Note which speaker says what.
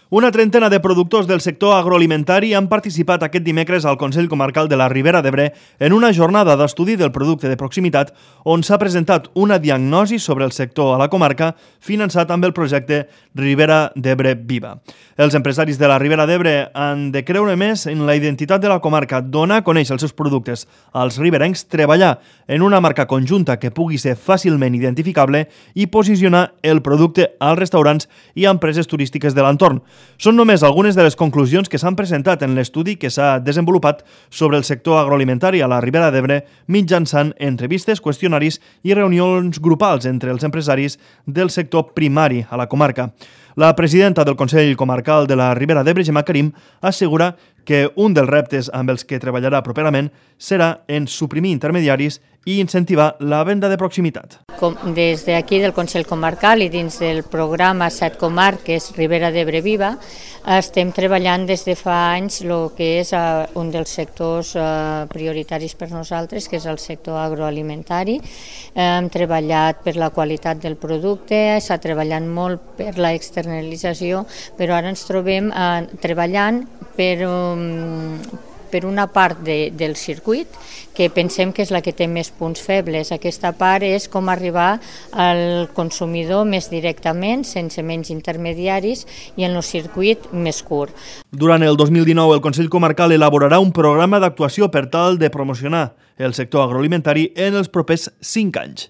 Speaker 1: Una trentena de productors del sector agroalimentari han participat aquest dimecres al Consell Comarcal de la Ribera d'Ebre en una jornada d'estudi del producte de proximitat on s'ha presentat una diagnosi sobre el sector a la comarca finançat amb el projecte Ribera d'Ebre Viva. Els empresaris de la Ribera d'Ebre han de creure més en la identitat de la comarca, donar a conèixer els seus productes als riberencs, treballar en una marca conjunta que pugui ser fàcilment identificable i posicionar el producte als restaurants i empreses turístiques de l'entorn. Són només algunes de les conclusions que s'han presentat en l'estudi que s'ha desenvolupat sobre el sector agroalimentari a la Ribera d'Ebre mitjançant entrevistes, qüestionaris i reunions grupals entre els empresaris del sector primari a la comarca. La presidenta del Consell Comarcal de la Ribera d'Ebre, Gemma Karim, assegura que un dels reptes amb els que treballarà properament serà en suprimir intermediaris i incentivar la venda de proximitat.
Speaker 2: Des d'aquí del Consell Comarcal i dins del programa 7 comarques Ribera d'Ebre Viva estem treballant des de fa anys el que és un dels sectors prioritaris per nosaltres, que és el sector agroalimentari. Hem treballat per la qualitat del producte, s'ha treballat molt per la externalització, però ara ens trobem treballant per una part del circuit que pensem que és la que té més punts febles. Aquesta part és com arribar al consumidor més directament, sense menys intermediaris i en el circuit més curt.
Speaker 1: Durant el 2019, el Consell Comarcal elaborarà un programa d'actuació per tal de promocionar el sector agroalimentari en els propers 5 anys.